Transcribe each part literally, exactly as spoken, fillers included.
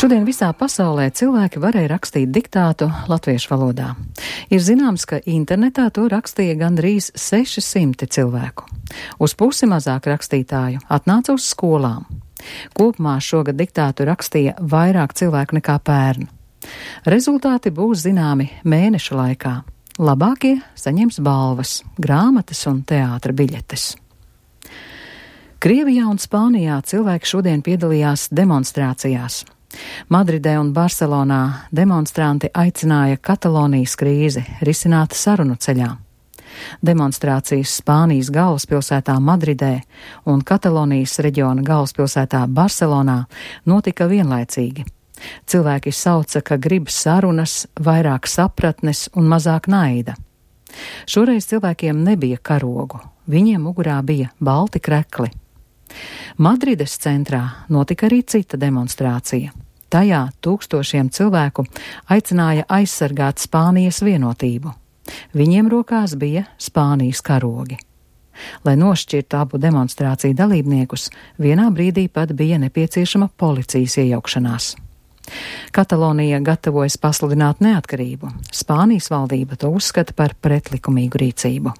Šodien visā pasaulē cilvēki varēja rakstīt diktātu latviešu valodā. Ir zināms, ka internetā to rakstīja gandrīz seši simti cilvēku. Uz pusi mazāk rakstītāju atnāca uz skolām. Kopumā šogad diktātu rakstīja vairāk cilvēku nekā pērn. Rezultāti būs zināmi mēneša laikā. Labākie saņems balvas, grāmatas un teātra biļetes. Krievijā un Spānijā cilvēki šodien piedalījās demonstrācijās. Madridē un Barcelonā demonstranti aicināja Katalonijas krīzi risināt sarunu ceļā. Demonstrācijas Spānijas galvaspilsētā Madridē un Katalonijas reģiona galvaspilsētā Barcelonā notika vienlaicīgi. Cilvēki sauca, ka grib sarunas, vairāk sapratnes un mazāk naida. Šoreiz cilvēkiem nebija karogu, viņiem mugurā bija balti krekli. Madrides centrā notika arī cita demonstrācija. Tajā tūkstošiem cilvēku aicināja aizsargāt Spānijas vienotību. Viņiem rokās bija Spānijas karogi. Lai nošķirtu abu demonstrāciju dalībniekus, vienā brīdī pat bija nepieciešama policijas iejaukšanās. Katalonija gatavojas pasludināt neatkarību. Spānijas valdība to uzskata par pretlikumīgu rīcību.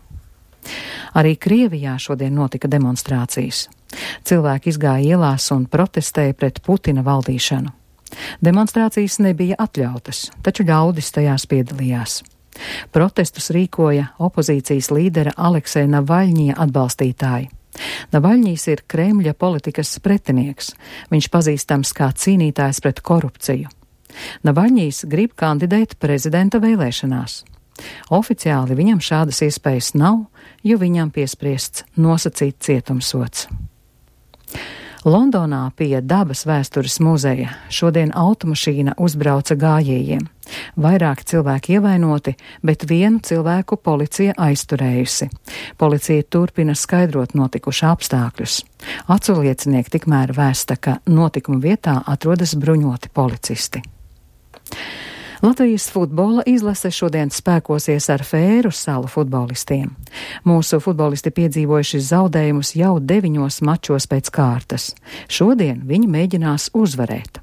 Arī Krievijā šodien notika demonstrācijas. Cilvēki izgāja ielās un protestēja pret Putina valdīšanu. Demonstrācijas nebija atļautas, taču ļaudis tajās piedalījās. Protestus rīkoja opozīcijas līdera Alekseja Navaļņija atbalstītāji. Navaļņijs ir Kremļa politikas pretinieks. Viņš pazīstams kā cīnītājs pret korupciju. Navaļņijs grib kandidēt prezidenta vēlēšanās. Oficiāli viņam šādas iespējas nav, jo viņam piespriests nosacīt cietumsods. Londonā pie Dabas vēstures muzeja šodien automašīna uzbrauca gājējiem. Vairāki cilvēki ievainoti, bet vienu cilvēku policija aizturējusi. Policija turpina skaidrot notikušā apstākļus. Aculiecinieki tikmēr vēsta, ka notikuma vietā atrodas bruņoti policisti. Latvijas futbola izlase šodien spēkosies ar Fēru salu futbolistiem. Mūsu futbolisti piedzīvojuši zaudējumus jau deviņos mačos pēc kārtas. Šodien viņi mēģinās uzvarēt.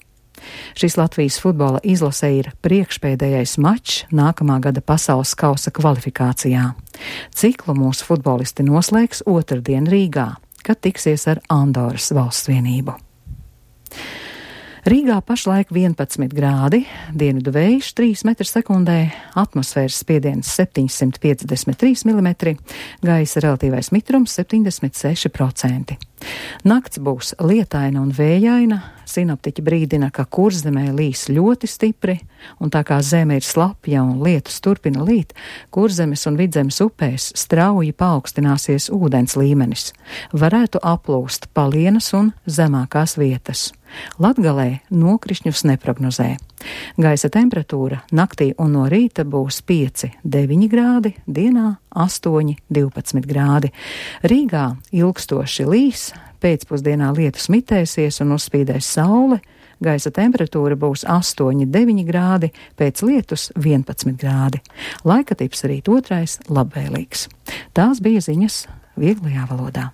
Šis Latvijas futbola izlase ir priekšpēdējais mačs nākamā gada pasaules kausa kvalifikācijā. Ciklu mūsu futbolisti noslēgs otrdien Rīgā, kad tiksies ar Andoras valsts vienību. Rīgā pašlaik vienpadsmit grādi, dienvidu vējš trīs metri sekundē, atmosfēras spiediens septiņsimt piecdesmit trīs milimetri, gaisa relatīvais mitrums septiņdesmit seši procenti. Nakts būs lietaina un vējaina, sinoptiķi brīdina, ka Kurzemē līs ļoti stipri, un tā kā zeme ir slapja un lietus turpina līt, Kurzemes un Vidzemes upēs strauji paaugstināsies ūdens līmenis. Varētu aplūst palienas un zemākās vietas. Latgalē nokrišņus neprognozē. Gaisa temperatūra naktī un no rīta būs pieci deviņi grādi, dienā astoņi divpadsmit grādi. Rīgā ilgstoši līs, pēcpusdienā lietus mitēsies un uzspīdēs saule, gaisa temperatūra būs astoņi deviņi grādi, pēc lietus vienpadsmit grādi. Laika tips rīt otrais labvēlīgs. Tās bija ziņas vieglajā valodā.